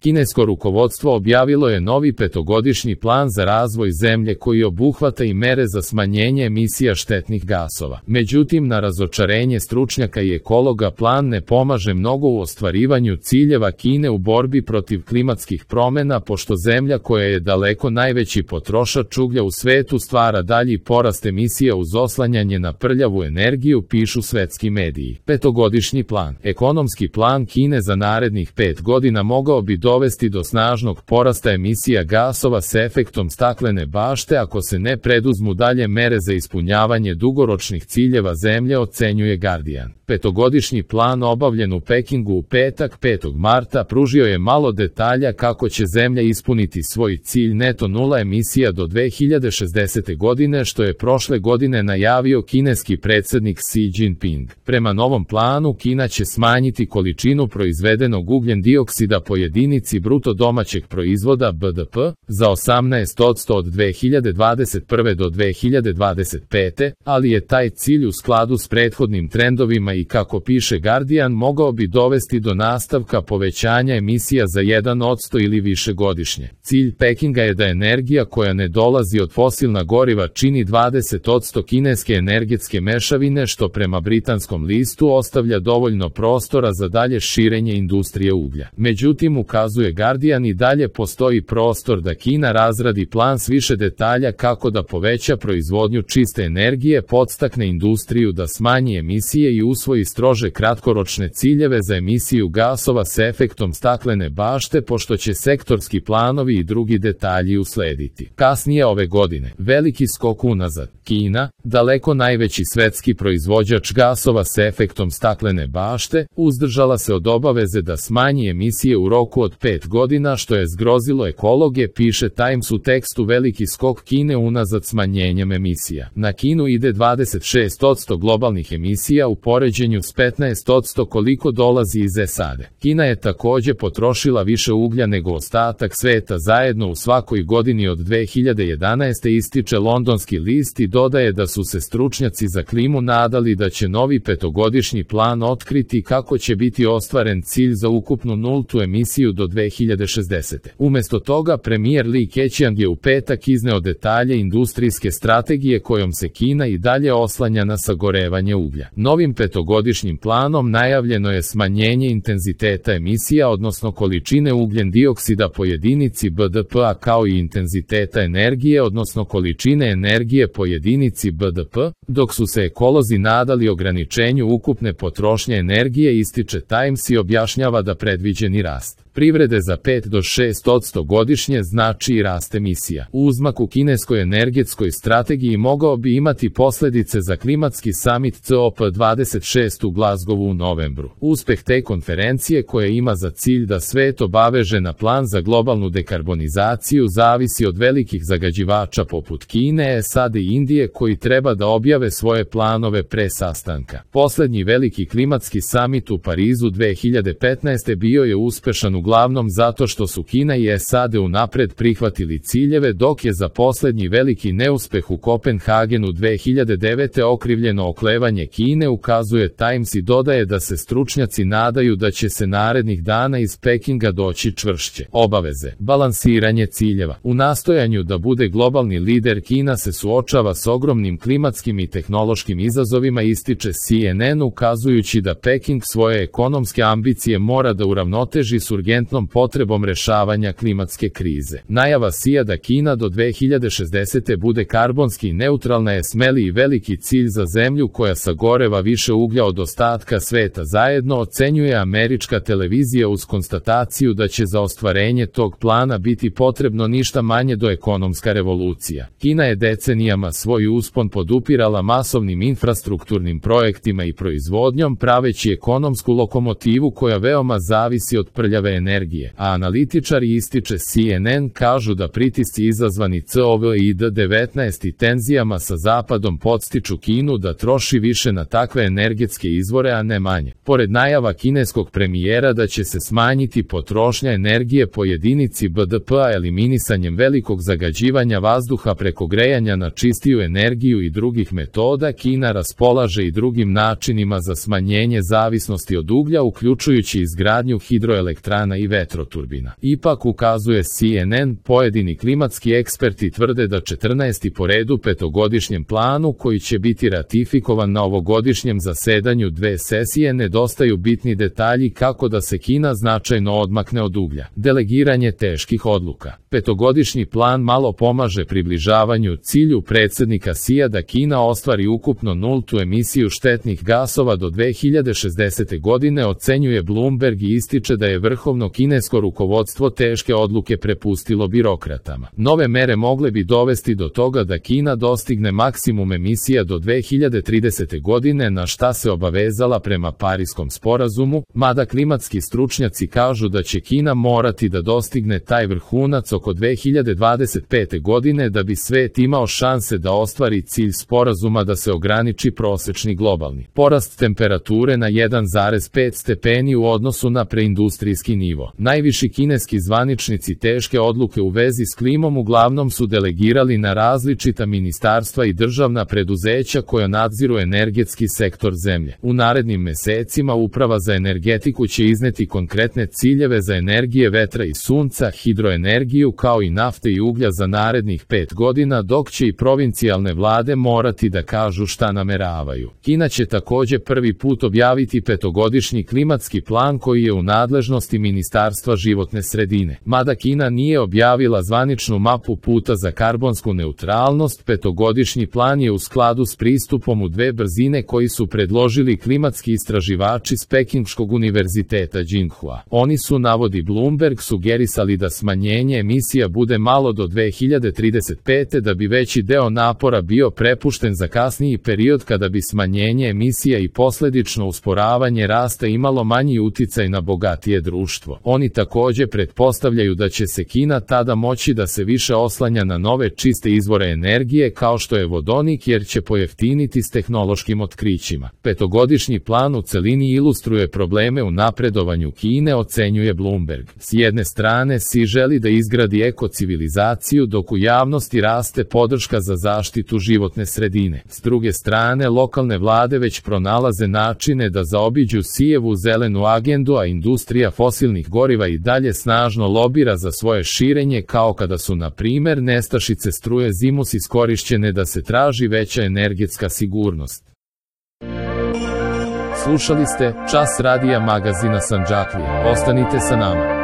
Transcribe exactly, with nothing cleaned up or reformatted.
Kinesko rukovodstvo objavilo je novi petogodišnji plan za razvoj zemlje koji obuhvata i mere za smanjenje emisija štetnih gasova. Međutim, na razočarenje stručnjaka i ekologa plan ne pomaže mnogo u ostvarivanju ciljeva Kine u borbi protiv klimatskih promjena, pošto zemlja koja je daleko najveći potrošač uglja u svetu stvara dalji porast emisija uz oslanjanje na prljavu energiju, pišu svetski mediji. Petogodišnji plan. Ekonomski plan Kine za narednih pet godina mogao bi dovesti do snažnog porasta emisija gasova s efektom staklene bašte ako se ne preduzmu dalje mere za ispunjavanje dugoročnih ciljeva zemlje, ocenjuje Guardian. Petogodišnji plan obavljen u Pekingu u petak petog marta pružio je malo detalja kako će zemlja ispuniti svoj cilj neto nula emisija do dve hiljade šezdesete godine, što je prošle godine najavio kineski predsjednik Xi Jinping. Prema novom planu, Kina će smanjiti količinu proizvedenog ugljen dioksida po jedinici bruto domaćeg proizvoda B D P za osamnaest posto od dve hiljade dvadeset prve do dve hiljade dvadeset pete, ali je taj cilj u skladu s prethodnim trendovima i, kako piše Guardian, mogao bi dovesti do nastavka povećanja emisija za jedan posto ili više godišnje. Cilj Pekinga je da energija koja ne dolazi od fosilna goriva čini dvadeset posto kineske energetske mešavine, što prema britanskom listu ostavlja dovoljno prostora za dalje širenje industrije uglja. Međutim, ukazuje Guardian, i dalje postoji prostor da Kina razradi plan s više detalja kako da poveća proizvodnju čiste energije, podstakne industriju da smanji emisije i usvoji strože kratkoročne ciljeve za emisiju gasova s efektom staklene bašte, pošto će sektorski planovi i drugi detalji uslediti. Kasnije ove godine, veliki skok unazad. Kina, daleko najveći svetski proizvođač gasova s efektom staklene bašte, uzdržala se od obaveze da smanji emisije u roku od pet godina, što je zgrozilo ekologe, piše Times u tekstu. Veliki skok Kine unazad smanjenjem emisija. Na Kinu ide dvadeset šest posto globalnih emisija u poređenju s petnaest posto koliko dolazi iz S A D. Kina je također potrošila više uglja nego ostatak sveta zajedno u svakoj godini od dve hiljade jedanaeste, ističe londonski list, i dodaje da su se stručnjaci za klimu nadali da će novi petogodišnji plan otkriti kako će biti ostvaren cilj za ukupnu nultu emisiju do dve hiljade šezdesete. Umjesto toga, premijer Li Keqiang je u petak izneo detalje industrijske strategije kojom se Kina i dalje oslanja na sagorevanje uglja. Novim petogodišnjim planom najavljeno je smanjenje intenziteta emisija, odnosno količine ugljen dioksida po jedinici B D P-a, kao i intenziteta energije, odnosno količine energije po jedinici B D P, dok su se ekolozi nadali ograničenju ukupne potrošnje energije, ističe Times i objašnjava da predviđeni rast privrede za pet do šest posto godišnje znači i rast emisija. Uzmak u kineskoj energetskoj strategiji mogao bi imati posljedice za klimatski summit C O P dvadeset šest u Glasgowu u novembru. Uspeh te konferencije, koja ima za cilj da svet obaveže na plan za globalnu dekarbonizaciju, zavisi od velikih zagađivača poput Kine, S A D i Indije, koji treba da objave svoje planove pre sastanka. Posljednji veliki klimatski summit u Parizu dve hiljade petnaeste bio je uspešan uglavnom zato što su Kina i S A D unapred prihvatili ciljeve, dok je za posljednji veliki neuspeh u Kopenhagenu dve hiljade devete okrivljeno oklevanje Kine, ukazuje Times, i dodaje da se stručnjaci nadaju da će se narednih dana iz Pekinga doći čvršće obaveze. Balansiranje ciljeva. U nastojanju da bude globalni lider, Kina se suočava s ogromnim klimatskim i tehnološkim izazovima, ističe C N N, ukazujući da Peking svoje ekonomske ambicije mora da uravnoteži s urgentnom potrebom rešavanja klimatske krize. Najava Xija da Kina do dve hiljade šezdesete bude karbonski neutralna je smeli i veliki cilj za zemlju koja sagoreva više uglja od ostatka sveta zajedno, ocenjuje američka televizija, uz konstataciju da će za ostvarenje tog plana biti potrebno ništa manje do ekonomska revolucija. Kina je decenijama svoj uspon podupirala masovnim infrastrukturnim projektima i proizvodnjom, praveći ekonomsku lokomotivu koja veoma zavisi od prljave energije, a analitičari, ističe C N N, kažu da pritisci izazvani COVID devetnaest i tenzijama sa Zapadom podstiču Kinu da troši više na takve energetske izvore, a ne manje. Pored najava kineskog premijera da će se smanjiti potrošnja energije po jedinici B D P-a eliminisanjem velikog zagađivanja vazduha preko grejanja na čistiju energiju i drugih metoda, Kina raspolaže i drugim načinima za smanjenje zavisnosti od uglja, uključujući izgradnju hidroelektrana elektrana i vetroturbina. Ipak, ukazuje C N N, pojedini klimatski eksperti tvrde da četrnaesti po redu petogodišnjem planu koji će biti ratifikovan na ovogodišnjem zasedanju dve sesije nedostaju bitni detalji kako da se Kina značajno odmakne od uglja. Delegiranje teških odluka. Petogodišnji plan malo pomaže približavanju cilju predsjednika Xija da Kina ostvari ukupno nultu emisiju štetnih gasova do dve hiljade šezdesete. godine, ocenjuje Bloomberg i ističe da je vrhovno kinesko rukovodstvo teške odluke prepustilo birokratama. Nove mere mogle bi dovesti do toga da Kina dostigne maksimum emisija do dve hiljade tridesete. godine, na šta se obavezala prema Pariskom sporazumu, mada klimatski stručnjaci kažu da će Kina morati da dostigne taj vrhunac oko dve hiljade dvadeset pete. godine da bi svet imao šanse da ostvari cilj sporazuma da se ograniči prosečni globalni porast temperature na jedan zarez pet stepeni u odnosu na preindustrijski nivo. Najviši kineski zvaničnici teške odluke u vezi s klimom uglavnom su delegirali na različita ministarstva i državna preduzeća koja nadziru energetski sektor zemlje. U narednim mesecima Uprava za energetiku će izneti konkretne ciljeve za energije vetra i sunca, hidroenergiju kao i nafte i uglja za narednih pet godina, dok će i provincijalne vlade morati da kažu šta nameravaju. Kina će takođe prvi put objaviti petogodišnji klimatski plan koji je u nadležnosti Ministarstva životne sredine. Mada Kina nije objavila zvaničnu mapu puta za karbonsku neutralnost, petogodišnji plan je u skladu s pristupom u dve brzine koji su predložili klimatski istraživači s Pekingškog univerziteta Tsinghua. Oni su, navodi Bloomberg, sugerisali da smanjenje emisija bude malo do dve hiljade trideset pete. da bi veći deo napora bio prepušten za kasniji period kada bi smanjenje emisija i posledično usporavanje rasta imalo manji uticaj na bogatije društvo. Oni takođe pretpostavljaju da će se Kina tada moći da se više oslanja na nove čiste izvore energije kao što je vodonik, jer će pojeftiniti s tehnološkim otkrićima. Petogodišnji plan u celini ilustruje probleme u napredovanju Kine, ocenjuje Bloomberg. S jedne strane Xi želi da izgradi ekocivilizaciju, dok u javnosti raste podrška za zaštitu životne sredine. S druge strane, lokalne vlade već pronalaze načine da zaobiđu Xijevu zelenu agendu, a industrija fosilnih goriva i dalje snažno lobira za svoje širenje, kao kada su, na primer, nestašice struje zimus iskorišćene da se traži veća energetska sigurnost. Slušali ste Čas radija magazina Sandžaklija. Ostanite sa nama.